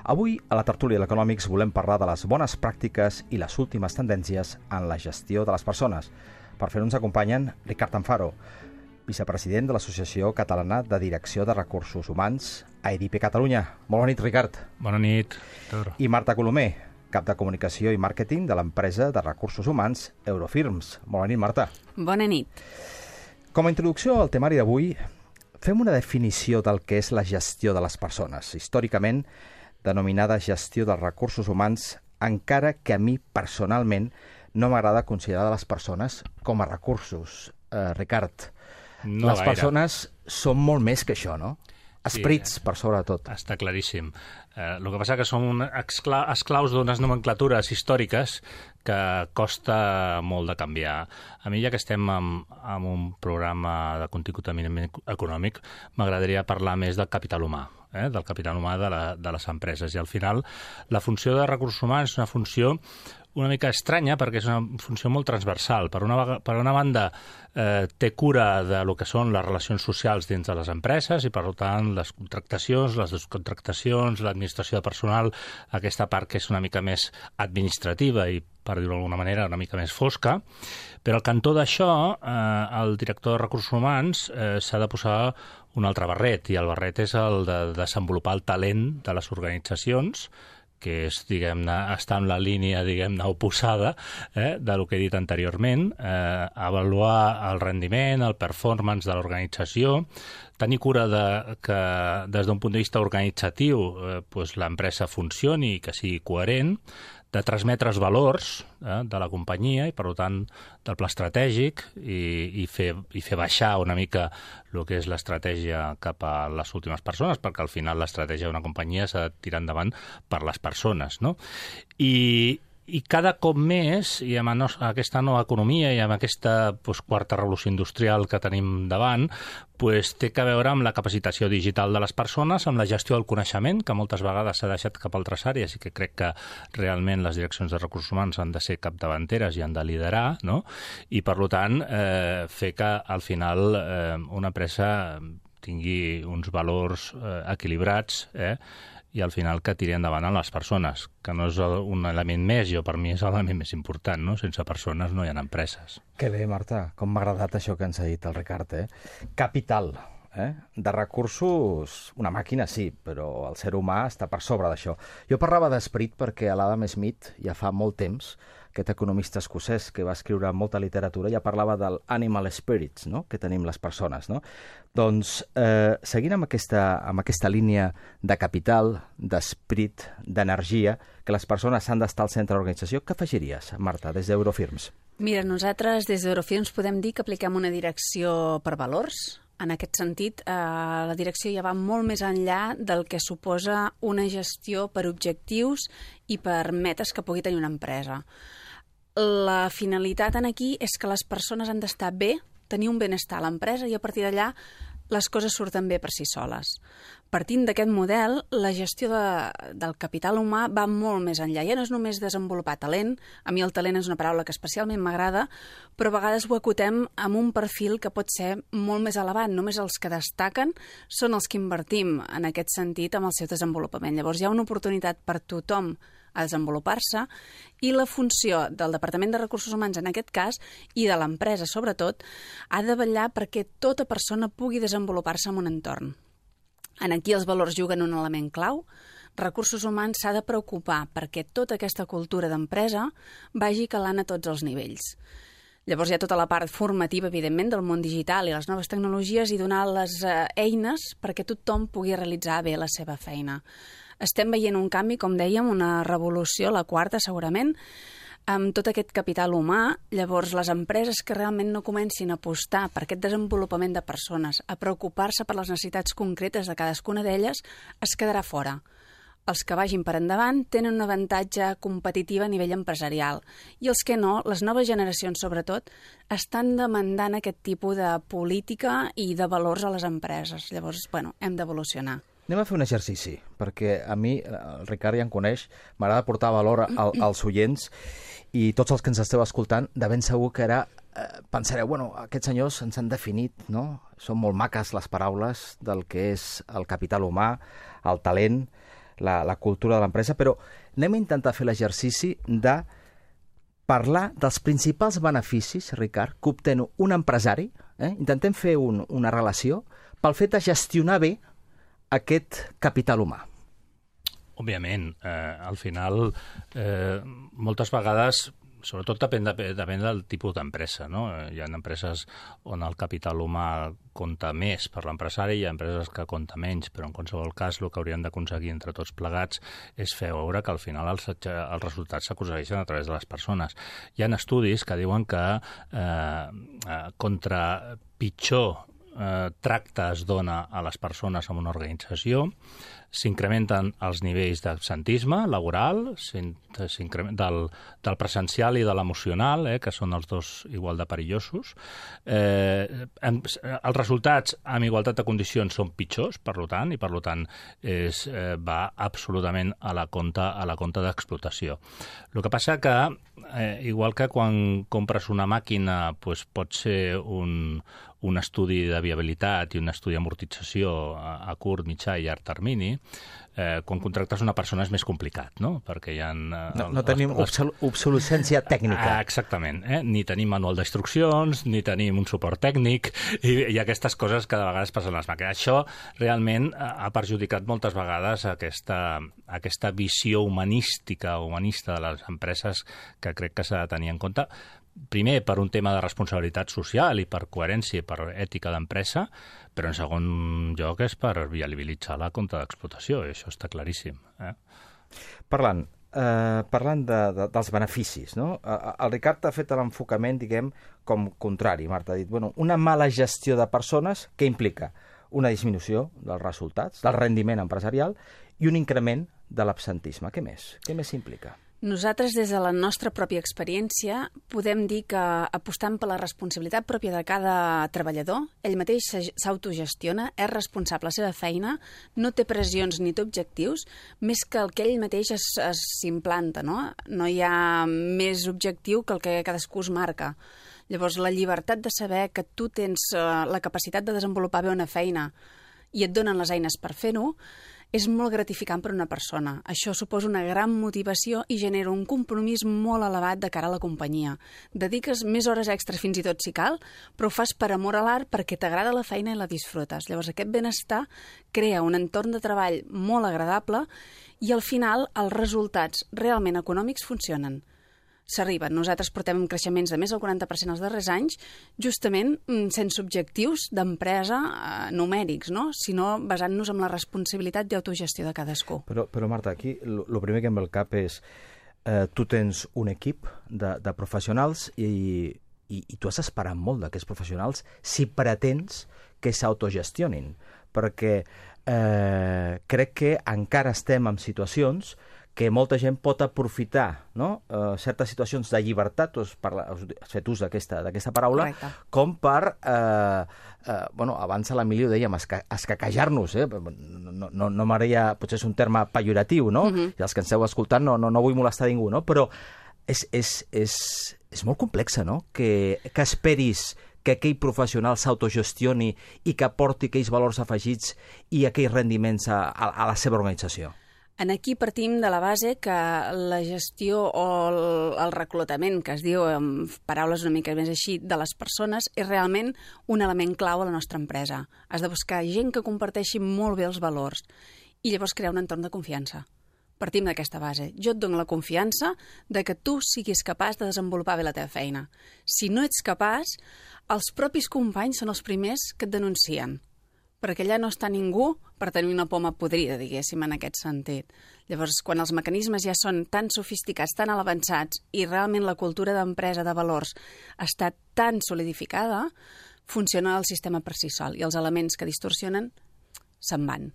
Avui, a la tertúlia de l'Economics, volem parlar de les bones pràctiques i les últimes tendències en la gestió de les persones. Per fer-ho ens acompanyen Ricard Anfaro, vicepresident de l'Associació Catalana de Direcció de Recursos Humans, AEDIP Catalunya. Molt bona nit, Ricard. Bona nit, Víctor. I Marta Colomer, cap de Comunicació i Màrqueting de l'empresa de recursos humans Eurofirms. Molt bona nit, Marta. Bona nit. Com a introducció al temari d'avui, fem una definició del que és la gestió de les persones, històricament denominada gestió dels recursos humans, encara que a mi personalment no m'agrada considerar les persones com a recursos. Ricard, no les gaire. persones són molt més que això, no? Esperits, per sobretot. Està claríssim. El que passa que som esclaus d'unes nomenclatures històriques que costa molt de canviar. A mi, ja que estem en un programa de contingut eminentment econòmic, m'agradaria parlar més del capital humà, del capital humà de les empreses. I al final, la funció de recursos humans és una funció una mica estranya perquè és una funció molt transversal. Per una banda, té cura de lo que són les relacions socials dins de les empreses i, per tant, les contractacions, les descontractacions, l'administració de personal, aquesta part que és una mica més administrativa i, per dir-ho d'alguna manera, una mica més fosca. Però al cantó d'això, el director de recursos humans s'ha de posar un altre barret, i el barret és el de desenvolupar el talent de les organitzacions, que és, diguem-ne, està en la línia, diguem-ne, oposada del que he dit anteriorment, avaluar el rendiment, el performance de l'organització, tenir cura que des d'un punt de vista organitzatiu l'empresa funcioni i que sigui coherent, de transmetre els valors de la companyia i, per tant, del pla estratègic i fer baixar una mica el que és l'estratègia cap a les últimes persones, perquè al final l'estratègia d'una companyia s'ha de tirar endavant per les persones, no? I cada cop més, i amb aquesta nova economia i amb aquesta quarta revolució industrial que tenim davant, té que veure amb la capacitació digital de les persones, amb la gestió del coneixement, que moltes vegades s'ha deixat cap a altres àrees i que crec que realment les direccions de recursos humans han de ser capdavanteres i han de liderar, no? I, per tant, fer que al final una empresa tingui uns valors equilibrats, i al final que tiri endavant a les persones, que no és un element més, per mi és l'element més important, no? Sense persones no hi ha empreses. Que bé, Marta, com m'ha agradat això que ens ha dit el Ricard, Capital, de recursos, una màquina sí, però el ser humà està per sobre d'això. Jo parlava d'esperit perquè a l'Adam Smith ja fa molt temps, aquest economista escocès que va escriure molta literatura, ja parlava del animal spirits, no?, que tenim les persones, no? Doncs, seguint amb aquesta línia de capital, d'esperit, d'energia, que les persones han d'estar al centre de l'organització, què afegiries, Marta, des d'Eurofirms? Mira, nosaltres des d'Eurofirms podem dir que apliquem una direcció per valors. En aquest sentit, la direcció ja va molt més enllà del que suposa una gestió per objectius i per metes que pugui tenir una empresa. La finalitat aquí és que les persones han d'estar bé, tenir un benestar a l'empresa i a partir d'allà les coses surten bé per si soles. Partint d'aquest model, la gestió del capital humà va molt més enllà. Ja no és només desenvolupar talent, a mi el talent és una paraula que especialment m'agrada, però a vegades ho acotem amb un perfil que pot ser molt més elevat. Només els que destaquen són els que invertim en aquest sentit amb el seu desenvolupament. Llavors hi ha una oportunitat per tothom a desenvolupar-se i la funció del Departament de Recursos Humans en aquest cas i de l'empresa sobretot ha de vetllar perquè tota persona pugui desenvolupar-se en un entorn. Aquí els valors juguen un element clau. Recursos Humans s'ha de preocupar perquè tota aquesta cultura d'empresa vagi calant a tots els nivells. Llavors hi ha tota la part formativa, evidentment, del món digital i les noves tecnologies i donar les eines perquè tothom pugui realitzar bé la seva feina. Estem veient un canvi, com dèiem, una revolució, la quarta segurament, amb tot aquest capital humà. Llavors, les empreses que realment no comencin a apostar per aquest desenvolupament de persones, a preocupar-se per les necessitats concretes de cadascuna d'elles, es quedarà fora. Els que vagin per endavant tenen un avantatge competitiu a nivell empresarial i els que no, les noves generacions sobretot, estan demandant aquest tipus de política i de valors a les empreses. Llavors, hem d'evolucionar. Anem a fer un exercici, perquè a mi, el Ricard ja em coneix, m'agrada portar valor als oients i tots els que ens esteu escoltant, de ben segur que ara pensareu, aquests senyors ens han definit, no? Són molt maques les paraules del que és el capital humà, el talent, la cultura de l'empresa, però anem a intentar fer l'exercici de parlar dels principals beneficis, Ricard, que obtén un empresari. Intentem fer una relació pel fet de gestionar bé aquest capital humà. Òbviament, al final, moltes vegades, sobretot depèn del tipus d'empresa, no? Hi ha empreses on el capital humà compta més per l'empresari, hi ha empreses que compta menys, però en qualsevol cas el que hauríem d'aconseguir entre tots plegats és fer veure que al final els resultats s'aconsegueixen a través de les persones. Hi ha estudis que diuen que contra pitjor tracte es dona a les persones en una organització, s'incrementen els nivells d'absentisme laboral, del presencial i de l'emocional, que són els dos igual de perillosos. Els resultats amb igualtat de condicions són pitjors, per tant, va absolutament a la compte d'explotació. El que passa que, igual que quan compres una màquina, pot ser un estudi de viabilitat i un estudi d'amortització a curt, mitjà i llarg termini, quan contractes una persona és més complicat, no? Perquè hi ha... No tenim obsolescència tècnica. Exactament. Ni tenim manual d'instruccions, ni tenim un suport tècnic, i aquestes coses que de vegades passen a les màquines. Això realment ha perjudicat moltes vegades aquesta visió humanista de les empreses que crec que s'ha de tenir en compte. Primer, per un tema de responsabilitat social i per coherència i per ètica d'empresa, però en segon lloc és per viabilitzar la compte d'explotació, i això està claríssim. Parlant dels beneficis, no? El Ricard ha fet l'enfocament, diguem, com contrari. Marta ha dit, una mala gestió de persones, què implica? Una disminució dels resultats, del rendiment empresarial i un increment de l'absentisme. Què més? Què més implica? Nosaltres, des de la nostra pròpia experiència, podem dir que apostant per la responsabilitat pròpia de cada treballador, ell mateix s'autogestiona, és responsable de la seva feina, no té pressions ni té objectius, més que el que ell mateix s'implanta, no? No hi ha més objectiu que el que cadascú es marca. Llavors, la llibertat de saber que tu tens la capacitat de desenvolupar bé una feina i et donen les eines per fer-ho, és molt gratificant per a una persona. Això suposa una gran motivació i genera un compromís molt elevat de cara a la companyia. Dediques més hores extres fins i tot si cal, però ho fas per amor a l'art perquè t'agrada la feina i la disfrutes. Llavors aquest benestar crea un entorn de treball molt agradable i al final els resultats realment econòmics funcionen. S'arriben. Nosaltres portem creixements de més del 40% els darrers anys, justament sense objectius d'empresa numèrics, no? Sinó basant-nos en la responsabilitat i autogestió de cadascú. Però Marta, aquí el primer que em ve al cap és tu tens un equip de professionals i tu has d'esperar molt d'aquests professionals si pretens que s'autogestionin, perquè crec que encara estem en situacions que molta gent pot aprofitar, no? Certes situacions de llibertat, has fet ús d'aquesta paraula, correcte, com per, abans a l'Emili ho dèiem, escaquejar-nos, no m'agradaria, potser és un terme pejoratiu, no? I els que ens esteu escoltant no vull molestar ningú, no? Però és molt complexa, no? Que esperis que aquell professional s'autogestioni i que aporti aquells valors afegits i aquells rendiments a la seva organització. Aquí partim de la base que la gestió o el reclutament, que es diu amb paraules una mica més així, de les persones, és realment un element clau a la nostra empresa. Has de buscar gent que comparteixi molt bé els valors i llavors crear un entorn de confiança. Partim d'aquesta base. Jo et dono la confiança de que tu siguis capaç de desenvolupar bé la teva feina. Si no ets capaç, els propis companys són els primers que et denuncien, perquè allà no està ningú per tenir una poma podrida, diguéssim, en aquest sentit. Llavors, quan els mecanismes ja són tan sofisticats, tan avançats, i realment la cultura d'empresa de valors està tan solidificada, funciona el sistema per si sol, i els elements que distorsionen se'n van.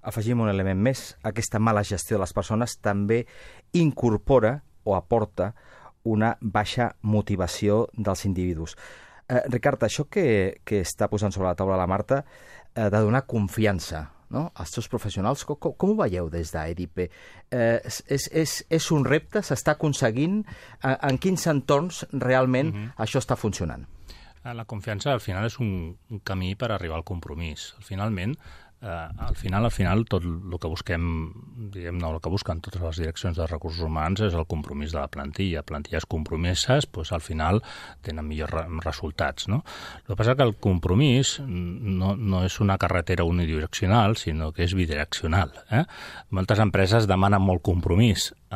Afegim un element més. Aquesta mala gestió de les persones també incorpora o aporta una baixa motivació dels individus. Ricard, això que està posant sobre la taula la Marta, de donar confiança, no?, als seus professionals, com ho veieu des d'EDIPE? És un repte? S'està aconseguint? En quins entorns realment això està funcionant? La confiança, al final, és un camí per arribar al compromís. Finalment, al final, tot el que busquem, diguem-ne, el que busquen totes les direccions de recursos humans és el compromís de la plantilla. Plantilles compromeses, doncs, al final tenen millors resultats, no? El que passa que el compromís no és una carretera unidireccional, sinó que és bidireccional. Moltes empreses demanen molt compromís o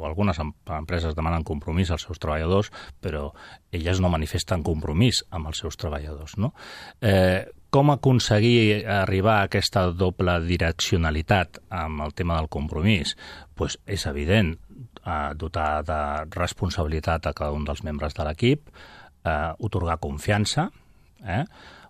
algunes empreses demanen compromís als seus treballadors, però elles no manifesten compromís amb els seus treballadors, no? Com aconseguir arribar a aquesta doble direccionalitat amb el tema del compromís? Pues és evident, dotar de responsabilitat a cada un dels membres de l'equip, atorgar confiança,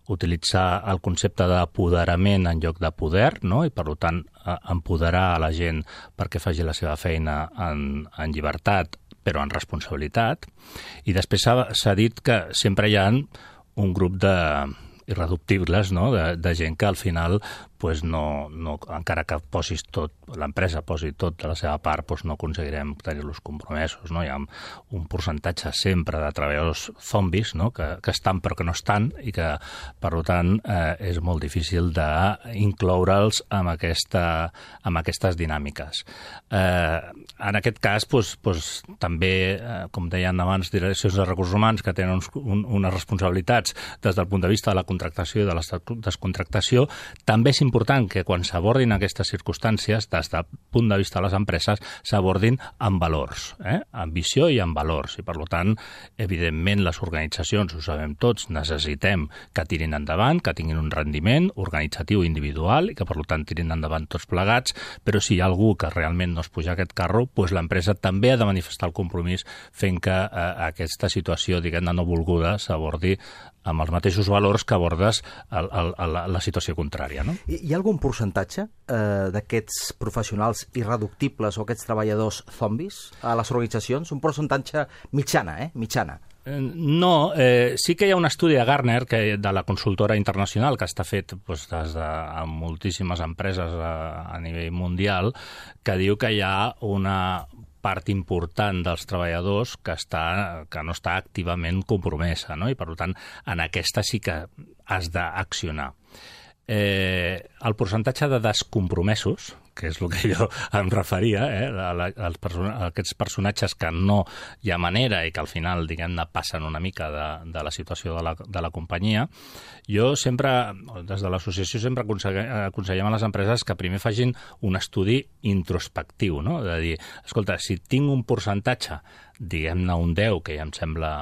utilitzar el concepte d'apoderament en lloc de poder, no? I per tant empoderar a la gent perquè faci la seva feina en llibertat, però en responsabilitat. I després s'ha dit que sempre hi ha un grup irreductibles, no? De gent que al final pues no, encara que l'empresa posi tot de la seva part, pues no aconseguirem tenir-los compromesos, no? Hi ha un percentatge sempre de treballadors zombis, no? que estan però que no estan i que, per tant, és molt difícil d'incloure'ls amb aquestes dinàmiques. En aquest cas, també, com deien abans, direccions de recursos humans que tenen unes responsabilitats des del punt de vista de la contractació i de la descontractació, també és important que quan s'abordin aquestes circumstàncies, des del punt de vista de les empreses, s'abordin amb valors, amb visió i amb valors. I, per tant, evidentment, les organitzacions, ho sabem tots, necessitem que tirin endavant, que tinguin un rendiment organitzatiu individual i que, per tant, tirin endavant tots plegats, però si hi ha algú que realment no es puja a aquest carro, doncs l'empresa també ha de manifestar el compromís fent que aquesta situació, diguem-ne, no volguda s'abordi amb els mateixos valors que abordes la situació contrària, no? Hi ha algun percentatge d'aquests professionals irreductibles o aquests treballadors zombis a les organitzacions? Un percentatge mitjana, mitjana. No, sí que hi ha un estudi de Gartner, de la consultora internacional, que està fet amb moltíssimes empreses a nivell mundial, que diu que hi ha una part important dels treballadors que no està activament compromesa, no? I, per tant, en aquesta sí que has d'accionar. El percentatge de descompromesos, que és el que jo em referia, a aquests personatges que no hi ha manera i que al final, diguem-ne, passen una mica de la situació de la companyia, jo sempre, des de l'associació, sempre aconsellem a les empreses que primer facin un estudi introspectiu, no? De dir, escolta, si tinc un percentatge, diguem-ne un 10, que ja em sembla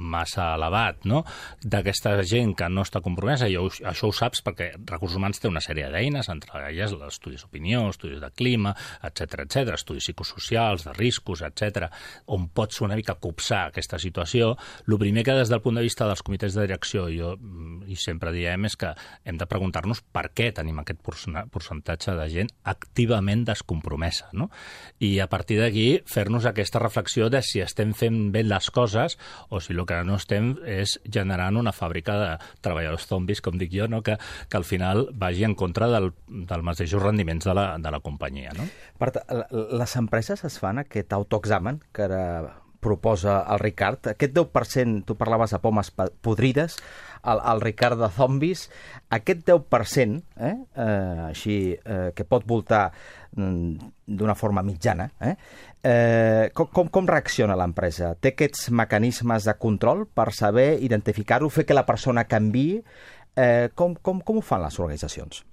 massa elevat, no? D'aquesta gent que no està compromesa, i això ho saps perquè Recursos Humans té una sèrie d'eines, entre elles estudis d'opinió, estudis de clima, etc, estudis psicosocials, de riscos, etc, on pots una mica copsar aquesta situació. El primer que des del punt de vista dels comitès de direcció i sempre diem és que hem de preguntar-nos per què tenim aquest percentatge de gent activament descompromesa, no? I a partir d'aquí fer-nos aquesta reflexió de si estem fent bé les coses o si el que no estem és generant una fàbrica de treballadors zombis, com dic jo, no? que al final vagi en contra dels mateixos rendiments de la companyia, no? Les empreses es fan aquest autoexamen que ara proposa el Ricard, aquest 10%, tu parlaves de pomes podrides, el Ricard de zombis, aquest 10%, així que pot voltar d'una forma mitjana, com reacciona l'empresa? Té aquests mecanismes de control per saber identificar-ho, fer que la persona canviï? Com ho fan les organitzacions?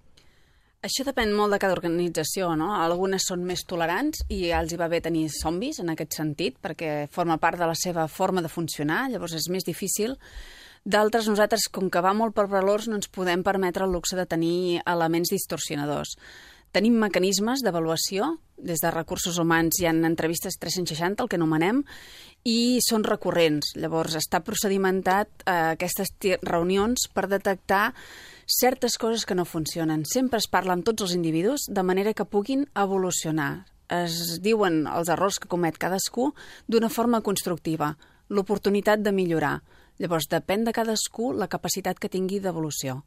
Això depèn molt de cada organització, no? Algunes són més tolerants i els hi va bé tenir zombis en aquest sentit, perquè forma part de la seva forma de funcionar, llavors és més difícil. D'altres, nosaltres, com que va molt per valors, no ens podem permetre el luxe de tenir elements distorsionadors. Tenim mecanismes d'avaluació, des de Recursos Humans hi ha entrevistes 360, el que anomenem, i són recurrents. Llavors està procedimentat aquestes reunions per detectar certes coses que no funcionen. Sempre es parla amb tots els individus de manera que puguin evolucionar. Es diuen els errors que comet cadascú d'una forma constructiva, l'oportunitat de millorar. Llavors depèn de cadascú la capacitat que tingui d'evolució.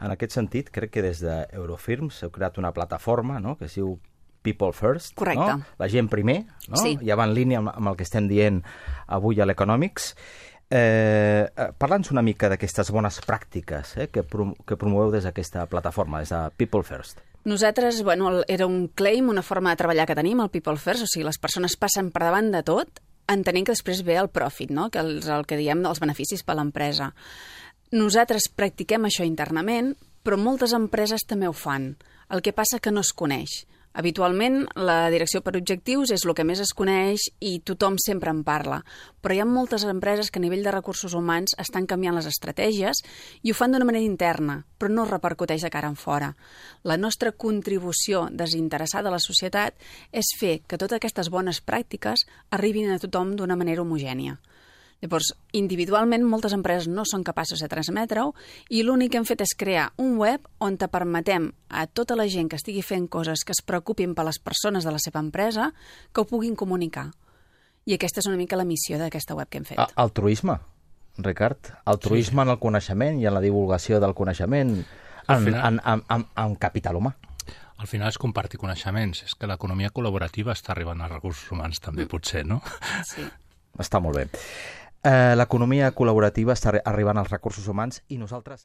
En aquest sentit, crec que des d'Eurofirms heu creat una plataforma, no?, que es diu People First. Correcte. No? La gent primer, no? Sí. Ja va en línia amb el que estem dient avui a l'Economics. Parla'ns una mica d'aquestes bones pràctiques que promoveu des d'aquesta plataforma, des de People First. Nosaltres, era un claim, una forma de treballar que tenim, el People First, o sigui, les persones passen per davant de tot, entenent que després ve el profit, no? Que és el que diem dels beneficis per a l'empresa. Nosaltres practiquem això internament, però moltes empreses també ho fan. El que passa que no es coneix. Habitualment, la direcció per objectius és el que més es coneix i tothom sempre en parla. Però hi ha moltes empreses que a nivell de recursos humans estan canviant les estratègies i ho fan d'una manera interna, però no repercuteix de cara en fora. La nostra contribució desinteressada a la societat és fer que totes aquestes bones pràctiques arribin a tothom d'una manera homogènia. Llavors, individualment, moltes empreses no són capaces de transmetre-ho i l'únic que hem fet és crear un web on te permetem a tota la gent que estigui fent coses que es preocupin per les persones de la seva empresa que ho puguin comunicar. I aquesta és una mica la missió d'aquesta web que hem fet. Altruisme, Ricard. Altruisme en el coneixement i en la divulgació del coneixement en capital humà. Al final és compartir coneixements. És que l'economia col·laborativa està arribant als recursos humans també, potser, no? Sí. Està molt bé. L'economia col·laborativa està arribant als recursos humans i nosaltres...